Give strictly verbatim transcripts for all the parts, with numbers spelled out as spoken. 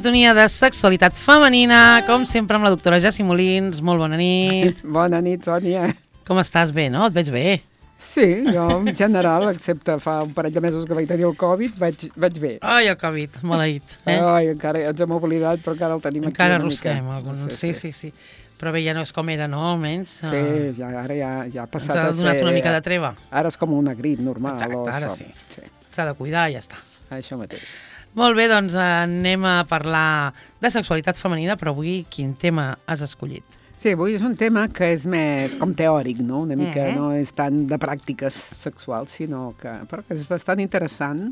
sintonia de sexualitat femenina, com sempre amb la doctora Jessi Molins. Molt bona nit. Bona nit, Sònia. Com estàs? Bé, no? Et veig bé. Sí, jo en general, excepte fa un parell de mesos que vaig tenir el Covid, vaig, vaig bé. Ai, el Covid, maleït. Eh? Ai, encara ens hem oblidat, però encara el tenim encara aquí una mica. Encara arrosseguem algun. Sí, sí, sí. Però bé, ja no és com era, no? Almenys. Sí, ja, ara ja, ja ha passat a ser... Ens ha donat una mica de treva. Ara és com una grip normal. Exacte, ara sí. sí. S'ha de cuidar i ja està. Això mateix. Molt bé, doncs anem a parlar de sexualitat femenina, però avui quin tema has escollit? Sí, avui és un tema que és més com teòric, no? Una mica Mm-hmm. no és tant de pràctiques sexuals, sinó que, però que és bastant interessant,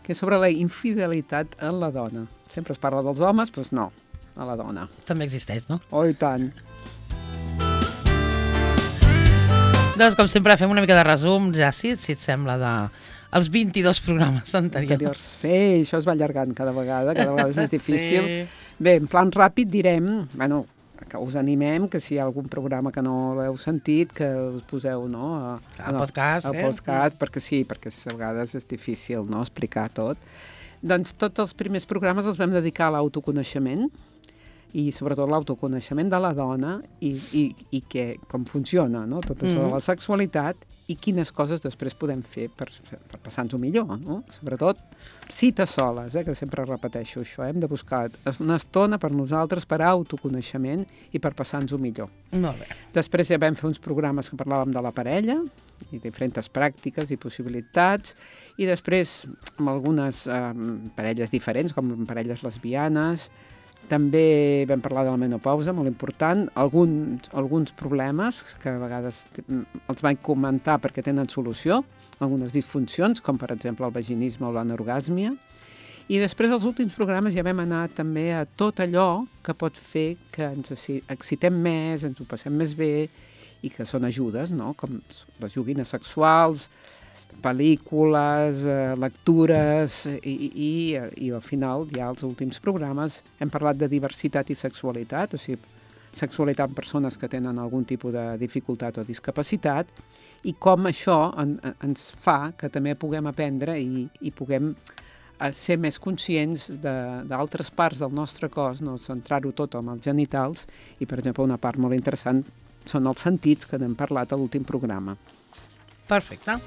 que és sobre la infidelitat en la dona. Sempre es parla dels homes, doncs no, a la dona. També existeix, no? Oh, i tant. Doncs, com sempre, fem una mica de resum, ja si, si et sembla, de els vint-i-dos programes anteriors. anteriors. Sí, això es va allargant cada vegada, cada vegada és més difícil. Sí. Bé, en plan ràpid direm, bueno, que us animem, que si hi ha algun programa que no l'heu sentit, que us poseu, no? A, Al podcast, al eh? podcast, perquè sí, perquè a vegades és difícil, no?, explicar tot. Doncs tots els primers programes els vam dedicar a l'autoconeixement, i sobretot l'autoconeixement de la dona i, i, i que, com funciona, no? Tot això Mm-hmm. de la sexualitat i quines coses després podem fer per, per passar-nos-ho millor, no? Sobretot cites soles, eh? Que sempre repeteixo això, hem de buscar una estona per nosaltres per autoconeixement i per passar-nos-ho millor. Molt bé. Després ja vam fer uns programes que parlàvem de la parella i diferents pràctiques i possibilitats, i després amb algunes eh, parelles diferents, com parelles lesbianes. També vam parlar de la menopausa, molt important, alguns, alguns problemes que a vegades els vaig comentar perquè tenen solució, algunes disfuncions, com per exemple el vaginisme o l'anorgàsmia. I després als últims programes ja vam anar també a tot allò que pot fer que ens excitem més, ens ho passem més bé i que són ajudes, no? Com les joguines sexuals, pel·lícules, eh, lectures i, i, i al final, ja als últims programes, hem parlat de diversitat i sexualitat, o sigui, sexualitat en persones que tenen algun tipus de dificultat o discapacitat i com això en, en, ens fa que també puguem aprendre i, i puguem eh, ser més conscients d'altres parts del nostre cos, no centrar-ho tot en els genitals i, per exemple, una part molt interessant són els sentits que n'hem parlat a l'últim programa. Perfecte.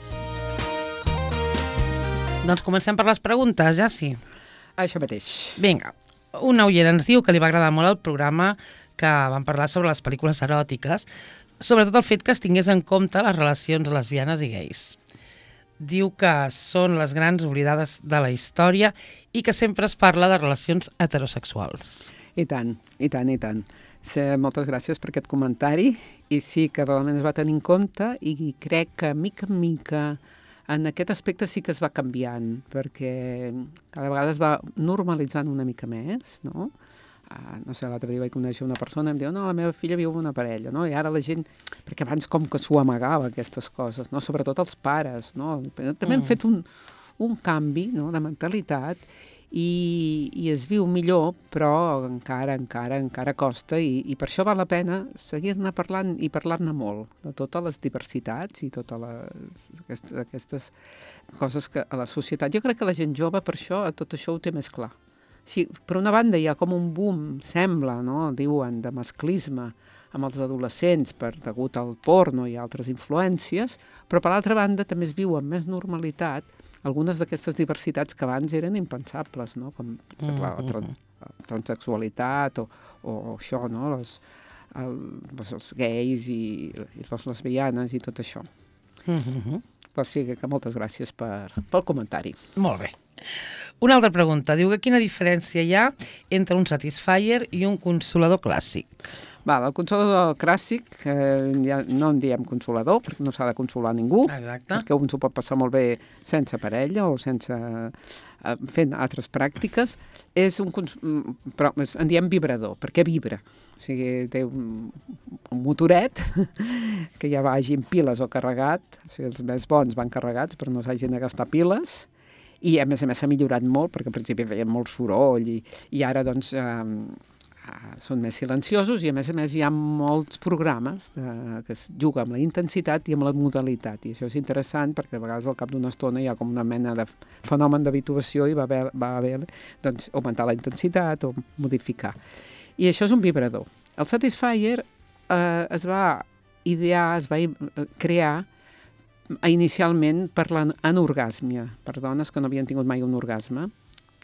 Doncs comencem per les preguntes, ja sí. Això mateix. Vinga, una oient ens diu que li va agradar molt el programa que vam parlar sobre les pel·lícules eròtiques, sobretot el fet que es tingués en compte les relacions lesbianes i gais. Diu que són les grans oblidades de la història i que sempre es parla de relacions heterosexuals. I tant, i tant, i tant. Sí, moltes gràcies per aquest comentari i sí que realment es va tenir en compte i crec que mica en mica en aquest aspecte sí que es va canviant, perquè cada vegada es va normalitzant una mica més, no? Uh, no sé, l'altre dia vaig conèixer una persona i em diu, no, la meva filla viu amb una parella, no? I ara la gent, perquè abans com que s'ho amagava aquestes coses, no? Sobretot els pares, no? També hem fet un, un canvi, no?, de mentalitat i, i es viu millor, però encara, encara, encara costa i, i per això val la pena seguir-ne parlant i parlar-ne molt de totes les diversitats i totes les, aquestes, aquestes coses que a la societat. Jo crec que la gent jove per això, tot això ho té més clar. Sí, per una banda hi ha com un boom, sembla, no?, diuen, de masclisme amb els adolescents per degut al porno i altres influències, però per l'altra banda també es viu amb més normalitat algunes d'aquestes diversitats que abans eren impensables, no?, com per exemple, la, tran la transsexualitat o, o això, no?, les, el, els gais i, i les lesbianes i tot això. Mm-hmm. Però sí que moltes gràcies per, pel comentari. Molt bé. Una altra pregunta. Diu que quina diferència hi ha entre un Satisfyer i un consolador clàssic? Val, el consolador clàssic, eh, ja no en diem consolador, perquè no s'ha de consolar ningú, Exacte. perquè un s'ho pot passar molt bé sense parella o sense eh, fent altres pràctiques. És un però en diem vibrador, perquè vibra. O sigui, té un, un motoret que ja vagi amb piles o carregat, o sigui, els més bons van carregats, però no s'hagin de gastar piles, i a més a més s'ha millorat molt, perquè al principi feien molt soroll, i, i ara doncs... Eh, són més silenciosos i a més a més hi ha molts programes de, que es juga amb la intensitat i amb la modalitat, i això és interessant perquè a vegades al cap d'una estona hi ha com una mena de fenomen d'habituació i va haver, va haver doncs, augmentar la intensitat o modificar. I això és un vibrador. El Satisfyer eh, es va idear, es va crear inicialment per l'anorgàsmia, per dones que no havien tingut mai un orgasme,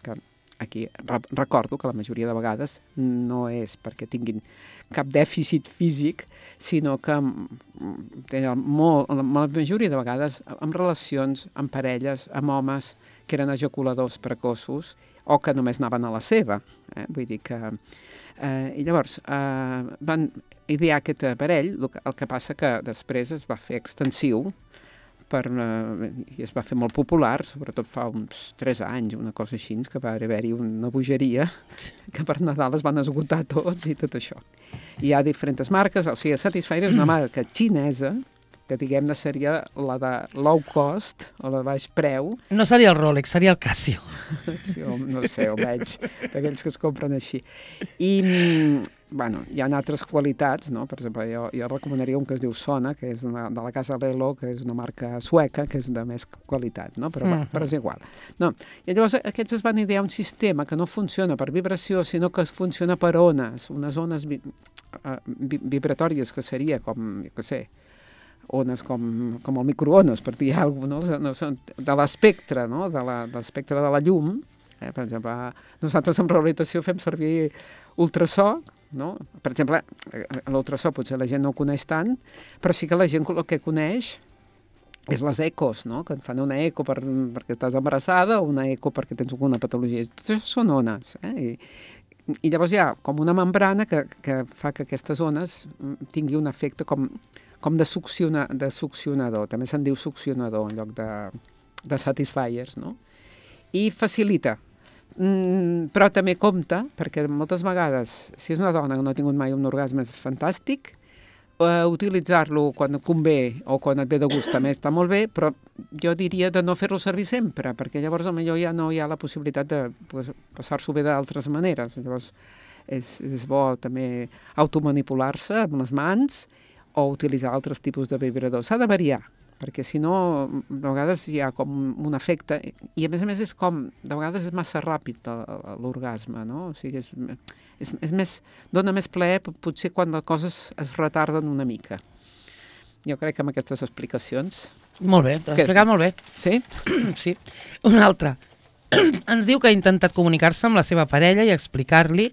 que aquí recordo que la majoria de vegades no és perquè tinguin cap dèficit físic, sinó que molt, la majoria de vegades amb relacions, amb parelles, amb homes que eren ejaculadors precoços o que només anaven a la seva. Eh? Vull dir que... Eh, I llavors eh, van idear aquest aparell, el que, el que passa que després es va fer extensiu per, uh, i es va fer molt popular, sobretot fa uns tres anys, una cosa així, que va haver-hi una bogeria, que per Nadal es van esgotar tots i tot això. Hi ha diferents marques, o sigui, Satisfyer és una marca xinesa, que diguem-ne seria la de low cost, o la de baix preu. No seria el Rolex, seria el Casio. Sí, no sé, ho veig, d'aquells que es compren així. I, bueno, hi ha altres qualitats, no? Per exemple, jo, jo recomanaria un que es diu Sona, que és una, de la casa Lelo, que és una marca sueca, que és de més qualitat, no? Però, uh-huh. però és igual. No. I llavors aquests es van idear un sistema que no funciona per vibració, sinó que funciona per ones, unes ones vi, uh, vi, vibratòries, que seria com, jo què sé, ones com, com el microones, per dir alguna cosa, no? No, de l'espectre, no? De l'espectre de la llum. Eh? Per exemple, nosaltres en rehabilitació fem servir ultrasò, no? Per exemple, l'ultrasò potser la gent no ho coneix tant, però sí que la gent el que coneix és les ecos, no? Que et fan una eco per, perquè estàs embarassada o una eco perquè tens alguna patologia. Tot això són ones. Eh? I, I llavors hi ha com una membrana que, que fa que aquestes ones tingui un efecte com, com de, succiona, de succionador. També se'n diu succionador en lloc de, de Satisfyers, no? I facilita. Mm, però també compta, perquè moltes vegades, si és una dona que no ha tingut mai un orgasme, és fantàstic, eh, utilitzar-lo quan et convé o quan et ve de gust també està molt bé, però jo diria de no fer-lo servir sempre, perquè llavors potser ja no hi ha la possibilitat de pues, passar-s'ho bé d'altres maneres. Llavors és, és bo també automanipular-se amb les mans o utilitzar altres tipus de vibradors. S'ha de variar, perquè si no, de vegades hi ha com un efecte, i a més a més és com, de vegades és massa ràpid l'orgasme, no? O sigui, és, és, és més, dona més plaer potser quan les coses es retarden una mica. Jo crec que amb aquestes explicacions... Molt bé, t'has explicat molt bé. Sí? Sí. Una altra. Ens diu que ha intentat comunicar-se amb la seva parella i explicar-li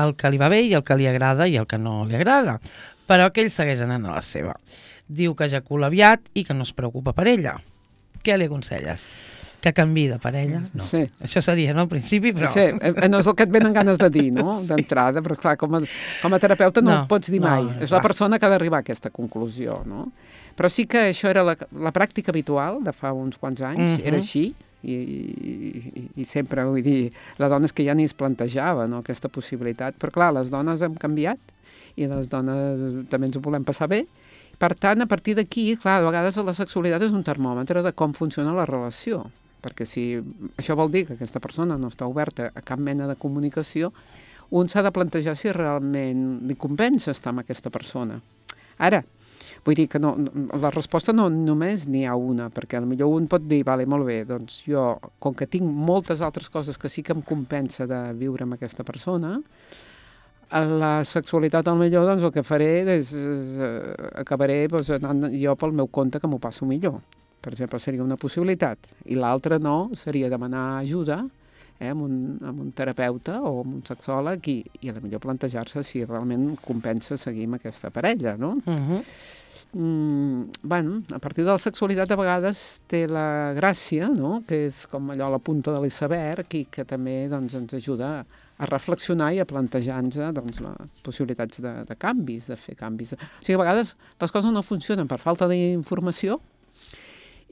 el que li va bé i el que li agrada i el que no li agrada, però que ell segueix anant a la seva. Diu que ejacula aviat i que no es preocupa per ella. Què li aconselles? Que canviï de parella? No. Sí. Això seria, no, al principi, però... Sí, no és el que et venen ganes de dir, no?, d'entrada, però clar, com a, com a terapeuta no, no ho pots dir mai. No, és clar. La persona que ha d'arribar a aquesta conclusió, no? Però sí que això era la, la pràctica habitual de fa uns quants anys, uh-huh. Era així, i, i, i sempre, vull dir, la dona és que ja ni es plantejava, no?, aquesta possibilitat. Però clar, les dones hem canviat i les dones també ens ho volem passar bé. Per tant, a partir d'aquí, clar, a vegades la sexualitat és un termòmetre de com funciona la relació, perquè si això vol dir que aquesta persona no està oberta a cap mena de comunicació, un s'ha de plantejar si realment li compensa estar amb aquesta persona. Ara, vull dir que no, la resposta no només n'hi ha una, perquè potser un pot dir, vale, molt bé, doncs jo, com que tinc moltes altres coses que sí que em compensa de viure amb aquesta persona, a la sexualitat, potser, doncs, el que faré és, és uh, acabaré doncs, anant jo pel meu compte que m'ho passo millor. Per exemple, seria una possibilitat. I l'altra no, seria demanar ajuda eh, amb, un, amb un terapeuta o amb un sexòleg i, i a la millor plantejar-se si realment compensa seguir amb aquesta parella, no? Uh-huh. Mm, bueno, a partir de la sexualitat a vegades té la gràcia, no?, que és com allò a la punta de l'iceberg i que també doncs, ens ajuda a a reflexionar i a plantejar-nos doncs, les possibilitats de, de canvis, de fer canvis. O sigui, a vegades les coses no funcionen per falta d'informació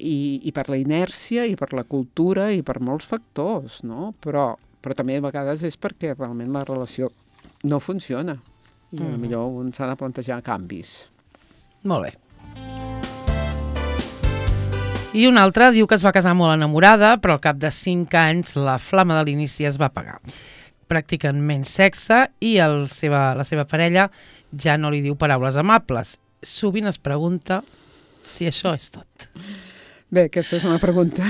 i, i per la inèrcia i per la cultura i per molts factors, no? Però, però també a vegades és perquè realment la relació no funciona i mm. potser un s'ha de plantejar canvis. Molt bé. I una altra diu que es va casar molt enamorada, però al cap de cinc anys la flama de l'inici es va apagar. practiquen menys sexe i el seva, la seva parella ja no li diu paraules amables. Sovint es pregunta si això és tot. Bé, aquesta és una pregunta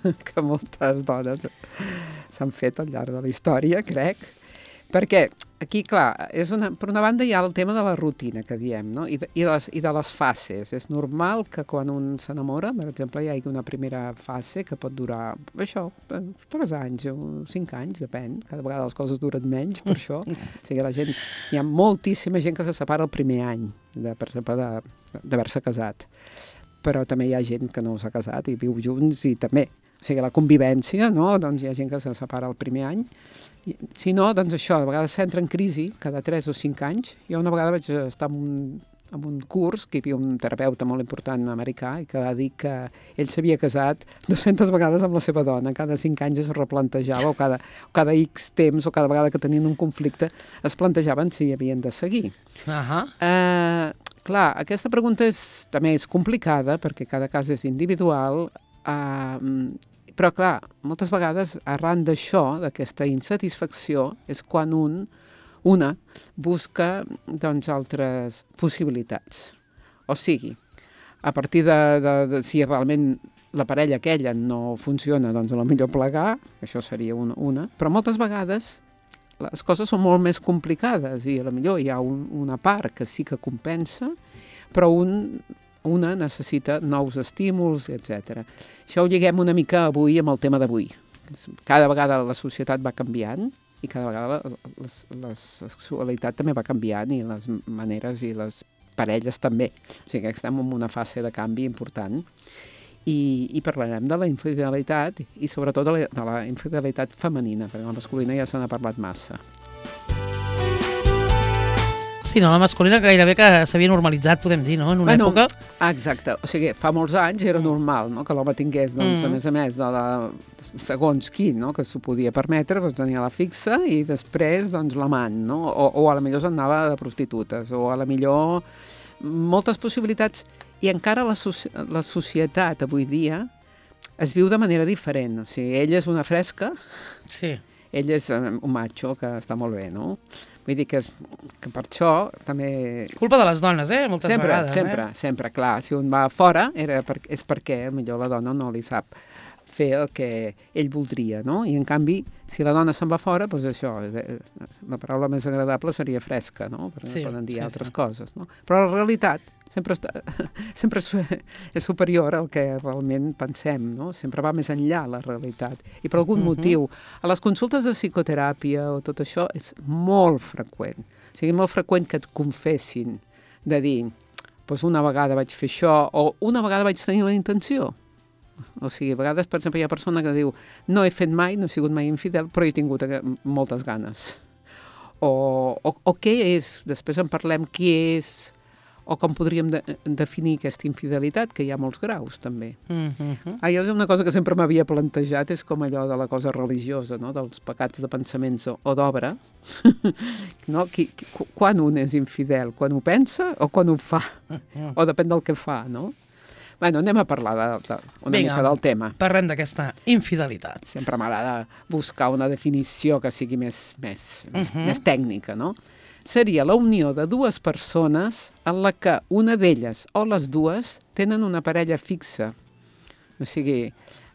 que moltes dones s'han fet al llarg de la història, crec, perquè aquí, clar, és una, per una banda hi ha el tema de la rutina que diem, no? I, de, i, de les, i de les fases. És normal que quan un s'enamora, per exemple, hi hagi una primera fase que pot durar, això, tres anys o cinc anys, depèn. Cada vegada les coses duren menys, per això. O sigui, la gent, hi ha moltíssima gent que se separa el primer any, de, per exemple, d'haver-se casat. Però també hi ha gent que no s'ha casat i viu junts i també. O sigui, la convivència, no? Doncs hi ha gent que se separa el primer any. I, si no, doncs això, a vegades s'entra en crisi cada tres o cinc anys. Jo una vegada vaig estar en un, en un curs que hi havia un terapeuta molt important americà i que va dir que ell s'havia casat dues-centes vegades amb la seva dona. Cada cinc anys es replantejava, o cada, o cada X temps, o cada vegada que tenien un conflicte, es plantejaven si havien de seguir. Uh-huh. Uh, clar, aquesta pregunta és, també és complicada perquè cada cas és individual, uh, però, clar, moltes vegades, arran d'això, d'aquesta insatisfacció, és quan un, una busca, doncs, altres possibilitats. O sigui, a partir de, de, de si realment la parella aquella no funciona, doncs, a lo millor plegar, això seria una, una, però moltes vegades les coses són molt més complicades i a lo millor hi ha un, una part que sí que compensa, però un... una necessita nous estímuls, etcètera. Això ho lliguem una mica avui amb el tema d'avui. Cada vegada la societat va canviant i cada vegada la, la sexualitat també va canviant i les maneres i les parelles també. O sigui que estem en una fase de canvi important i, i parlarem de la infidelitat i sobretot de la, de la infidelitat femenina, perquè la masculina ja se n'ha parlat massa. Sí, no, la masculina gairebé que s'havia normalitzat, podem dir, no?, en una bueno, època. Exacte, o sigui, fa molts anys era normal, no?, que l'home tingués, doncs, mm. a més a més, de la, segons qui, no?, que s'ho podia permetre, doncs tenia la fixa i després, doncs, l'amant, no?, o, o a la millor s'anava de prostitutes, o a la millor moltes possibilitats, i encara la, so la societat avui dia es viu de manera diferent, o sigui, ell és una fresca, sí. Ell és un macho que està molt bé, no? Vull dir que, és, que per això també... Culpa de les dones, eh? Moltes sempre, vegades. Sempre, eh? sempre, clar. Si un va fora era per, és perquè potser la dona no li sap fer el que ell voldria, no? I en canvi, si la dona se'n va fora, doncs això, la paraula més agradable seria fresca, no? Perquè sí, poden dir sí, altres sí. coses, no? Però la realitat sempre, està, sempre és superior al que realment pensem, no? Sempre va més enllà la realitat. I per algun uh-huh. motiu, a les consultes de psicoteràpia o tot això és molt freqüent. O sigui, molt freqüent que et confessin de dir, doncs una vegada vaig fer això o una vegada vaig tenir la intenció. O sigui, a vegades, per exemple, hi ha persona que diu no he fet mai, no he sigut mai infidel, però he tingut moltes ganes. O, o, o què és? Després en parlem què és o com podríem de definir aquesta infidelitat, que hi ha molts graus, també. Mm-hmm. Ah, jo és una cosa que sempre m'havia plantejat, és com allò de la cosa religiosa, no?, dels pecats de pensaments o, o d'obra. No? Qui, qui, quan un és infidel? Quan ho pensa o quan ho fa? O depèn del que fa, no? Bueno, anem a parlar de, de, una Vinga, mica del tema. Parlem d'aquesta infidelitat. Sempre m'agrada buscar una definició que sigui més, més, més, uh-huh. més tècnica, no? Seria la unió de dues persones en la que una d'elles o les dues tenen una parella fixa. O sigui,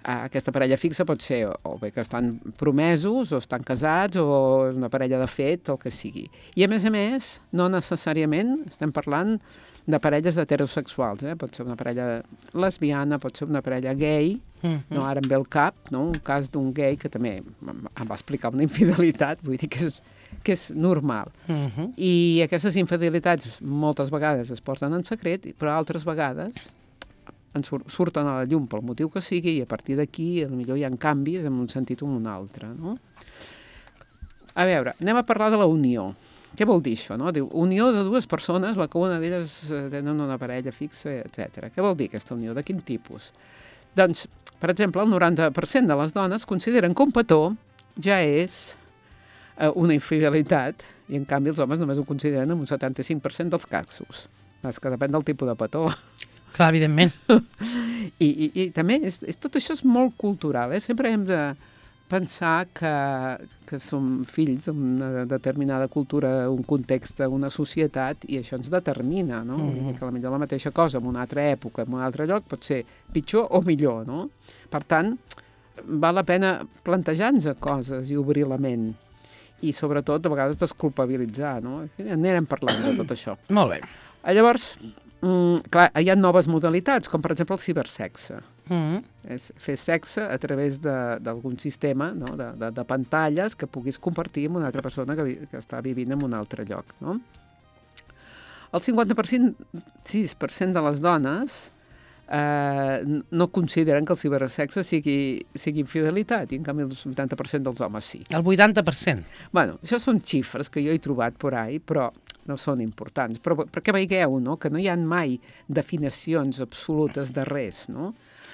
aquesta parella fixa pot ser o bé que estan promesos o estan casats o una parella de fet, el que sigui. I a més a més, no necessàriament estem parlant de parelles heterosexuals, eh? Pot ser una parella lesbiana, pot ser una parella gay, uh-huh. no? Ara em ve el cap, no? Un cas d'un gay que també em va explicar una infidelitat, vull dir que és, que és normal. Uh-huh. I aquestes infidelitats moltes vegades es porten en secret, però altres vegades en sur surten a la llum pel motiu que sigui i a partir d'aquí potser hi ha canvis en un sentit o en un altre, no? A veure, anem a parlar de la unió. Què vol dir això, no? Diu, unió de dues persones, la que una d'elles tenen una parella fixa, etcètera. Què vol dir aquesta unió? De quin tipus? Doncs, per exemple, el noranta per cent de les dones consideren que un petó ja és eh, una infidelitat i, en canvi, els homes només ho consideren en un setanta-cinc per cent dels casos. És que depèn del tipus de petó. Clar, evidentment. I, i, i també, és, és, tot això és molt cultural, eh? Sempre hem de pensar que, que som fills d'una determinada cultura, un context, una societat, i això ens determina, no? Mm -hmm. Que potser la mateixa cosa en una altra època, en un altre lloc, pot ser pitjor o millor, no? Per tant, val la pena plantejar-nos coses i obrir la ment. I sobretot, a vegades, desculpabilitzar, no? Anirem parlant de tot això. Molt bé. Llavors, mm, clar, hi ha noves modalitats, com per exemple el cibersexe. Mm -hmm. És fer sexe a través d'algun sistema, no? de, de, de pantalles que puguis compartir amb una altra persona que, vi, que està vivint en un altre lloc, no? El cinquanta per cent, sis per cent de les dones eh, no consideren que el cibersexe sigui, sigui infidelitat, i en canvi el vuitanta per cent dels homes sí. El vuitanta per cent? Bueno, això són xifres que jo he trobat por ahí, però no són importants. Però perquè veieu, no?, que no hi ha mai definicions absolutes de res, no?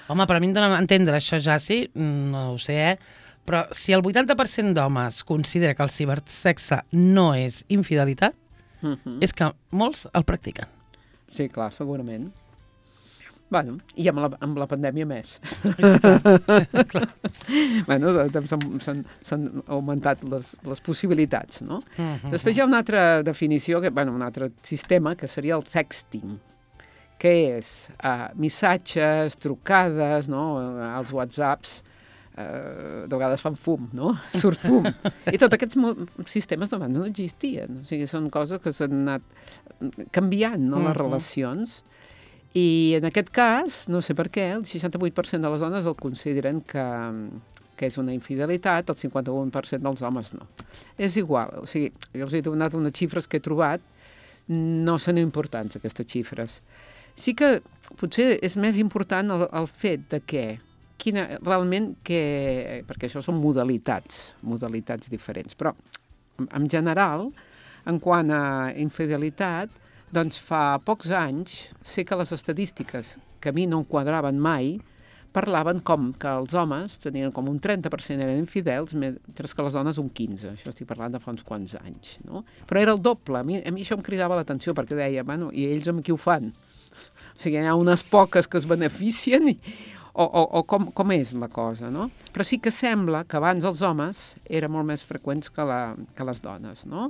Home, per a mi em dona a entendre això, Jaci, no ho sé, eh? Però si el vuitanta per cent d'homes considera que el cibersexe no és infidelitat, uh-huh. és que molts el practiquen. Sí, clar, segurament. Bueno, i amb la, amb la pandèmia més. bueno, s'han augmentat les, les possibilitats, no? Uh-huh. Després hi ha una altra definició, que, bueno, un altre sistema, que seria el sexting, que és uh, missatges, trucades, no? Els whatsapps, uh, de vegades fan fum, no? Surt fum. I tots aquests sistemes abans no existien. O sigui, són coses que s'han anat canviant, no? Uh-huh. Les relacions. I en aquest cas, no sé per què, el seixanta-vuit per cent de les dones el consideren que, que és una infidelitat, el cinquanta-un per cent dels homes no. És igual, o sigui, jo us he donat unes xifres que he trobat, no són importants aquestes xifres. Sí que potser és més important el, el fet de que, quina, realment que, perquè això són modalitats, modalitats diferents, però en general, en quant a infidelitat, doncs fa pocs anys sé que les estadístiques que a mi no em quadraven mai parlaven com que els homes tenien com un trenta per cent eren infidels, mentre que les dones un quinze. Això estic parlant de fa uns quants anys, no? Però era el doble. A mi, a mi això em cridava l'atenció perquè deia, bueno, i ells amb qui ho fan? O sigui, hi ha unes poques que es beneficien i, o, o, o com, com és la cosa, no? Però sí que sembla que abans els homes eren molt més freqüents que, la, que les dones, no?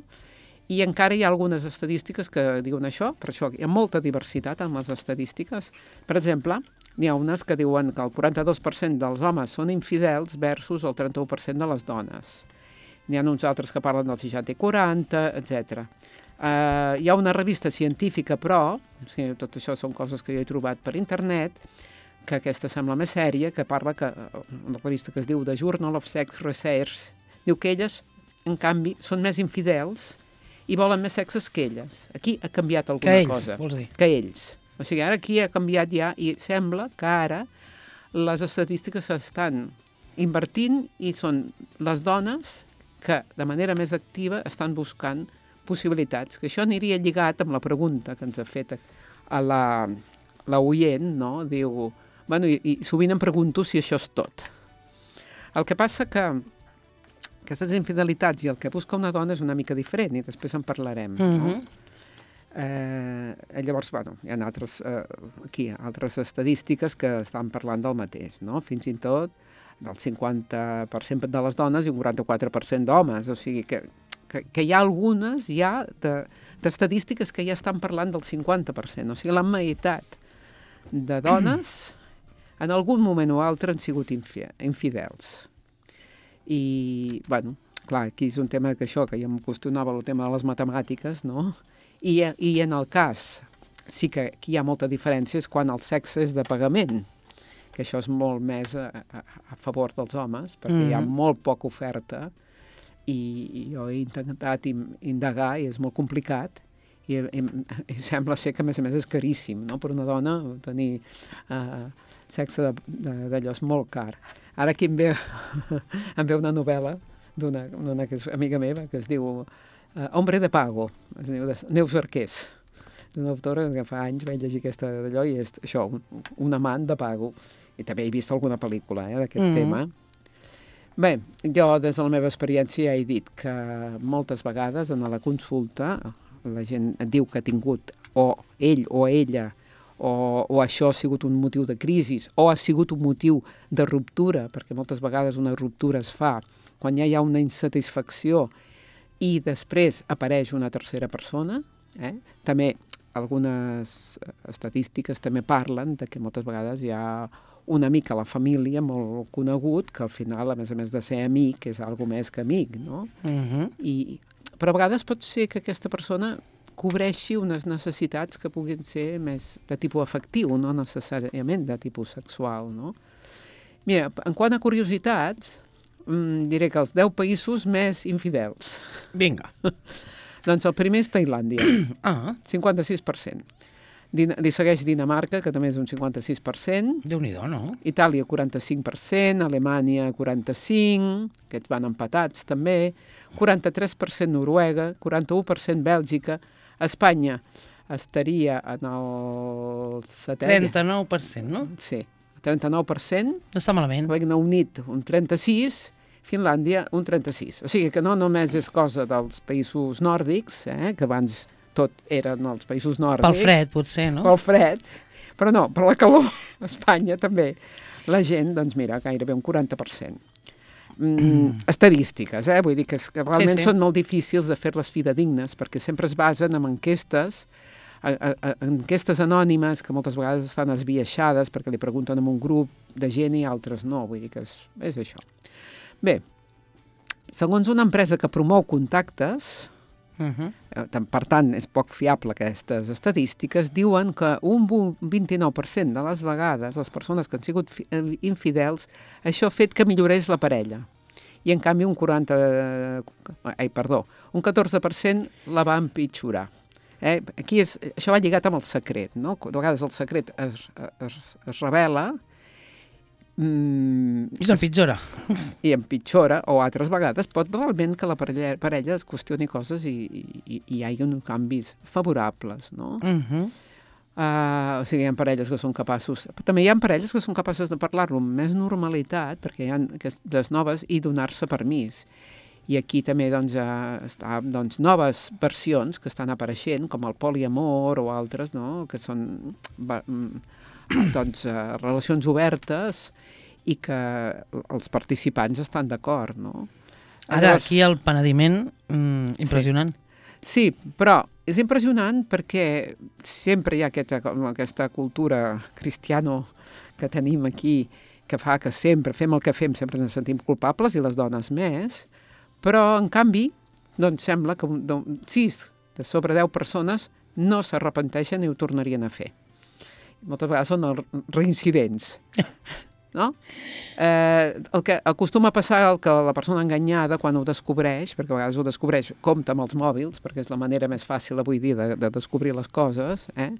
I encara hi ha algunes estadístiques que diuen això, per això hi ha molta diversitat en les estadístiques. Per exemple, n'hi ha unes que diuen que el quaranta-dos per cent dels homes són infidels versus el trenta-u per cent de les dones. N'hi ha uns altres que parlen del seixanta i quaranta, etcètera. Uh, hi ha una revista científica, però, o sigui, tot això són coses que jo he trobat per internet, que aquesta sembla més sèria, que parla que, una revista que es diu The Journal of Sex Research, diu que elles, en canvi, són més infidels i volen més sexes que elles. Aquí ha canviat alguna que ells, cosa. Vols dir? Que ells. O sigui, ara aquí ha canviat ja i sembla que ara les estadístiques s'estan invertint i són les dones que de manera més activa estan buscant possibilitats. Que això aniria lligat amb la pregunta que ens ha fet a la, la oient, no? Diu, bueno, i, i sovint em pregunto si això és tot. El que passa que aquestes infidelitats i el que busca una dona és una mica diferent i després en parlarem, no? Uh-huh. Eh, llavors, bueno, hi ha altres, eh, aquí, altres estadístiques que estan parlant del mateix, no? Fins i tot del cinquanta per cent de les dones i un quaranta-quatre per cent d'homes, o sigui que, que, que hi ha algunes ja d'estadístiques de, que ja estan parlant del cinquanta per cent, o sigui, la meitat de dones en algun moment o altre han sigut infidels. I, bueno, clar, aquí és un tema que això, que ja em qüestionava el tema de les matemàtiques, no? I, i en el cas, sí que aquí hi ha molta diferència, és quan el sexe és de pagament, que això és molt més a, a, a favor dels homes, perquè mm-hmm. hi ha molt poca oferta, i, i jo he intentat indagar, i és molt complicat, i, i, i sembla ser que, a més a més, és caríssim, no? Per una dona tenir uh, sexe d'allò és molt car. Ara aquí em ve, em ve una novel·la d'una una que és amiga meva, que es diu uh, Hombre de Pago, es diu de Neus Arqués, d'una autora que fa anys vaig llegir aquesta d'allò i és això, un, un amant de pago. I també he vist alguna pel·lícula eh, d'aquest mm. tema. Bé, jo des de la meva experiència ja he dit que moltes vegades en la consulta la gent diu que ha tingut o ell o ella o, o això ha sigut un motiu de crisi, o ha sigut un motiu de ruptura, perquè moltes vegades una ruptura es fa quan ja hi ha una insatisfacció i després apareix una tercera persona. Eh? També algunes estadístiques també parlen de que moltes vegades hi ha un amic a la família molt conegut que al final, a més a més de ser amic, és algo més que amic, no? Uh-huh. I, però a vegades pot ser que aquesta persona cobreixi unes necessitats que puguin ser més de tipus afectiu, no necessàriament de tipus sexual, no? Mira, en quant a curiositats, mm, diré que els deu països més infidels. Vinga. Doncs el primer és Tailàndia, Ah, cinquanta-sis per cent. Din- li segueix Dinamarca, que també és un cinquanta-sis per cent. Déu-n'hi-do, no? Itàlia, quaranta-cinc per cent, Alemanya, quaranta-cinc, aquests van empatats també, quaranta-tres per cent Noruega, quaranta-u per cent Bèlgica, Espanya estaria en el setè... trenta-nou per cent, no? Sí, trenta-nou per cent, No està malament. Regne Unit un trenta-sis, Finlàndia un trenta-sis. O sigui que no només és cosa dels països nòrdics, eh, que abans tot eren els països nòrdics. Pel fred, potser, no? Pel fred, però no, per la calor, a Espanya també. La gent, doncs mira, gairebé un quaranta per cent. Mm, estadístiques, eh? Vull dir que, és, que realment Sí, sí. són molt difícils de fer-les fidedignes, perquè sempre es basen en enquestes, a, a, a, enquestes anònimes que moltes vegades estan esbiaixades perquè li pregunten a un grup de gent i altres no, vull dir que és, és això. Bé, segons una empresa que promou contactes, Uh-huh. Eh, tant- per tant, és poc fiable aquestes estadístiques, diuen que un vu- vint-i-nou per cent de les vegades les persones que han sigut fi- eh, infidels, això ha fet que millorés la parella. I en canvi un quaranta... Ai, perdó, un catorze per cent la va empitjorar. Eh? Aquí és, això va lligat amb el secret, no? De vegades el secret es, es, es revela mm, I s'empitjora. i empitjora, o altres vegades pot realment que la parella, parella es qüestioni coses i, i, i hi hagi uns canvis favorables, no? Uh-huh. Uh, o sigui, hi ha parelles que són capaços... Però també hi ha parelles que són capaces de parlar-lo amb més normalitat, perquè hi ha aquestes noves, i donar-se permís. I aquí també doncs, uh, està, doncs, noves versions que estan apareixent, com el poliamor o altres, no? Que són va, mm, doncs, uh, relacions obertes i que els participants estan d'acord, no? Ara, Llavors- aquí el penediment, mm, impressionant. Sí, però és impressionant perquè sempre hi ha aquesta, com aquesta cultura cristiano que tenim aquí, que fa que sempre fem el que fem, sempre ens sentim culpables, i les dones més, però, en canvi, doncs sembla que un- un- sis de sobre deu persones no s'arrepenteixen i ho tornarien a fer. Moltes vegades són els reincidents. No? Eh, el que acostuma a passar el que la persona enganyada quan ho descobreix, perquè a vegades ho descobreix, compta amb els mòbils, perquè és la manera més fàcil avui dia de, de descobrir les coses, eh?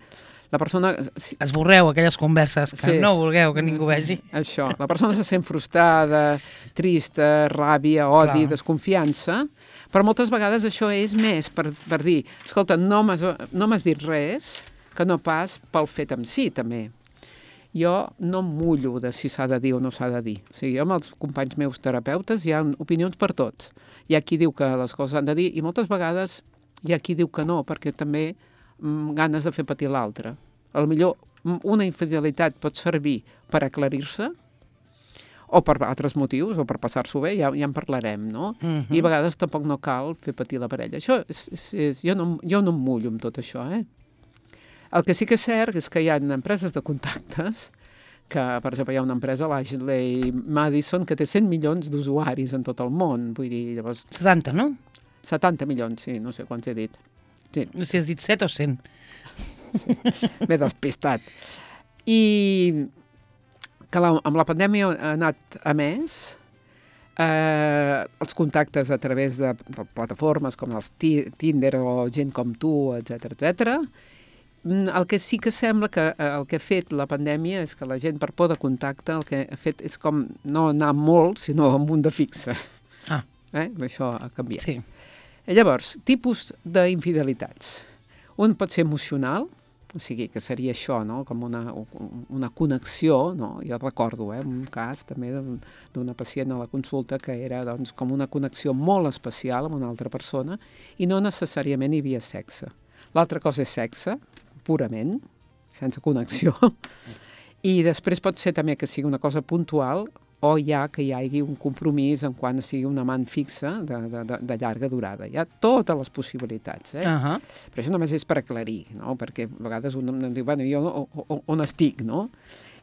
La persona... Si, Esborreu aquelles converses que Sí. no vulgueu que ningú vegi. això, la persona se sent frustrada, trista, ràbia, odi, Clar. desconfiança, però moltes vegades això és més per, per dir, escolta, no m'has no m'has dit res, que no pas pel fet en si, també. Jo no em mullo de si s'ha de dir o no s'ha de dir. O sigui, jo amb els companys meus terapeutes hi ha opinions per tots. Hi ha qui diu que les coses han de dir i moltes vegades hi ha qui diu que no, perquè també mm, ganes de fer patir l'altre. A lo millor mm, una infidelitat pot servir per aclarir-se o per altres motius, o per passar-s'ho bé, ja, ja en parlarem, no? Mhm. I a vegades tampoc no cal fer patir la parella. Això és, és, és, jo, no, jo no em mullo amb tot això, eh? El que sí que és cert és que hi ha empreses de contactes, que, per exemple, hi ha una empresa, l'Ashley Madison, que té cent milions d'usuaris en tot el món. Vull dir, llavors, setanta, no? setanta milions, sí, no sé quants he dit. Sí, No sé si has dit set o cent. m'he despistat. I que la, amb la pandèmia ha anat a més, eh, els contactes a través de plataformes com els Ti- Tinder o gent com tu, etcètera, etcètera. Mm, El que sí que sembla que eh, el que ha fet la pandèmia és que la gent, per por de contacte, el que ha fet és com no anar molt, sinó amb un de fixe. Ah, Eh? Això ha canviat. sí. Llavors, tipus d'infidelitats. Un pot ser emocional, o sigui, que seria això, no? Com una, una connexió, no? Jo recordo, eh, un cas també d'un- d'una pacient a la consulta que era doncs, com una connexió molt especial amb una altra persona i no necessàriament hi havia sexe. L'altra cosa és sexe, purament, sense connexió. I després pot ser també que sigui una cosa puntual o ja que hi hagi un compromís en quan sigui un amant fixa de, de, de, de llarga durada. Hi ha totes les possibilitats, eh? Uh-huh. Però això només és per aclarir, no? Perquè a vegades un em diu, bueno, jo on estic, no?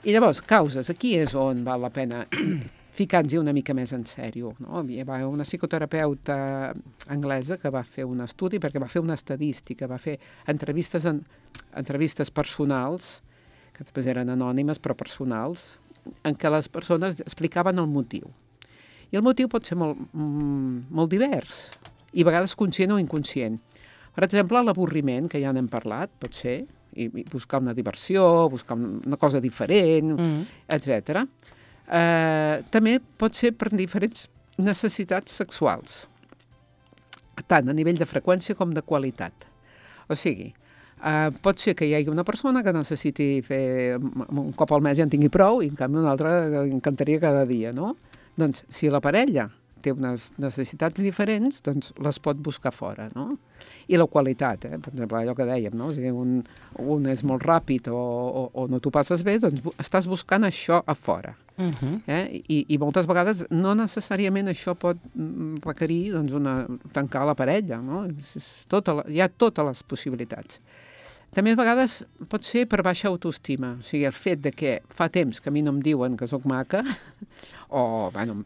I llavors, causes, aquí és on val la pena ficar-nos una mica més en sèrio, no? Hi va una psicoterapeuta anglesa que va fer un estudi, perquè va fer una estadística, va fer entrevistes, en, entrevistes personals, que després eren anònimes però personals, en què les persones explicaven el motiu. I el motiu pot ser molt, molt divers, i a vegades conscient o inconscient. Per exemple, l'avorriment, que ja n'hem parlat, pot ser, i, i buscar una diversió, buscar una cosa diferent, mm. etcètera. Eh, també pot ser per diferents necessitats sexuals, tant a nivell de freqüència com de qualitat. O sigui, Uh, pot ser que hi hagi una persona que necessiti fer un cop al mes i en tingui prou i en canvi una altra que encantaria cada dia, no? Doncs si la parella té unes necessitats diferents, doncs les pot buscar fora, no? I la qualitat, eh? Per exemple, allò que dèiem, no? O sigui, un, un és molt ràpid o, o, o no t'ho passes bé, doncs estàs buscant això a fora. Uh-huh. eh? I, I moltes vegades no necessàriament això pot requerir doncs, una, tancar la parella, no? És, és tota la, hi ha totes les possibilitats. També a vegades pot ser per baixa autoestima, o sigui, el fet de que fa temps que a mi no em diuen que sóc maca, o, bueno,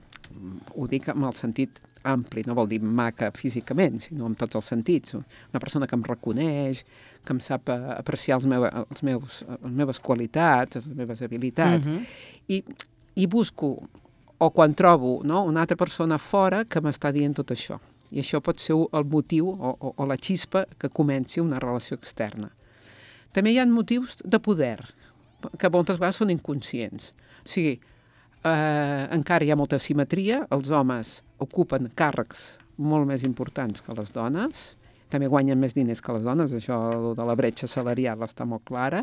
ho dic amb el sentit ampli, no vol dir maca físicament, sinó amb tots els sentits. Una persona que em reconeix, que em sap apreciar els meus, els meus, les meves qualitats, les meves habilitats, uh-huh. i, i busco, o quan trobo, no, una altra persona fora que m'està dient tot això. I això pot ser el motiu o, o, o la xispa que comenci una relació externa. També hi ha motius de poder, que moltes vegades són inconscients. O sigui, eh, encara hi ha molta simetria, els homes ocupen càrrecs molt més importants que les dones, també guanyen més diners que les dones, això de la bretxa salarial està molt clara,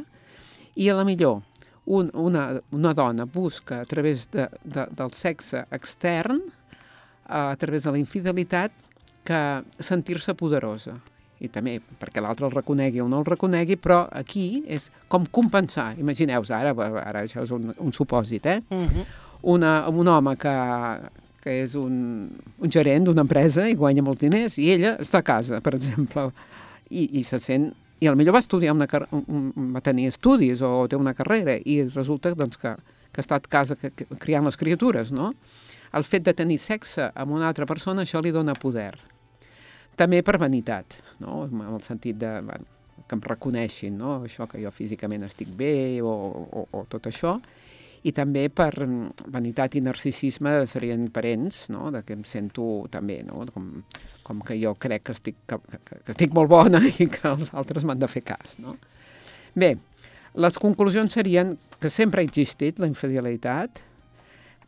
i a la millor un, una, una dona busca a través de, de, del sexe extern, a través de la infidelitat, que sentir-se poderosa. I també perquè l'altre el reconegui o no el reconegui, però aquí és com compensar. Imagineu-vos, ara, ara això és un, un supòsit, eh? Uh-huh. Una, un home que, que és un, un gerent d'una empresa i guanya molts diners, i ella està a casa, per exemple, i, i se sent... I potser va estudiar una un, va tenir estudis o té una carrera, i resulta doncs, que, que està a casa que, que, criant les criatures, no? El fet de tenir sexe amb una altra persona, això li dona poder. També per vanitat, no? En el sentit de, bueno, que em reconeixin, no? Això que jo físicament estic bé o, o, o tot això. I també per vanitat i narcisisme serien parents, no? De que em sento també, no? Com, com que jo crec que estic, que, que, que estic molt bona i que els altres m'han de fer cas, no? Bé, les conclusions serien que sempre ha existit la infidelitat,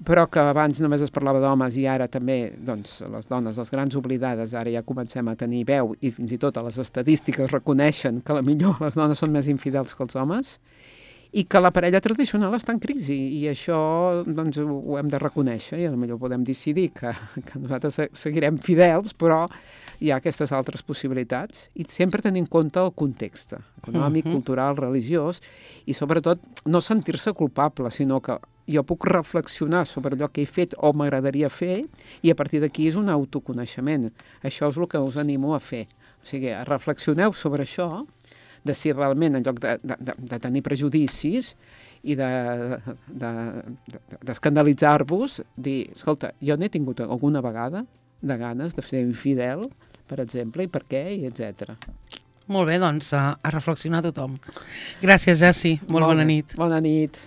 però que abans només es parlava d'homes i ara també, doncs, les dones, les grans oblidades, ara ja comencem a tenir veu i fins i tot a les estadístiques reconeixen que la millor les dones són més infidels que els homes i que la parella tradicional està en crisi i això, doncs, ho hem de reconèixer i potser podem decidir que, que nosaltres seguirem fidels, però hi ha aquestes altres possibilitats i sempre tenint en compte el context econòmic, uh-huh. cultural, religiós i sobretot no sentir-se culpable, sinó que jo puc reflexionar sobre allò que he fet o m'agradaria fer i a partir d'aquí és un autoconeixement. Això és el que us animo a fer. O sigui, reflexioneu sobre això, de si realment en lloc de, de, de, de tenir prejudicis i d'escandalitzar-vos, de, de, dir, escolta, jo n'he tingut alguna vegada de ganes de ser infidel, per exemple, i per què, i etcètera. Molt bé, doncs, a, a reflexionar tothom. Gràcies, Jessi. Molt bona, bona nit. Bona nit.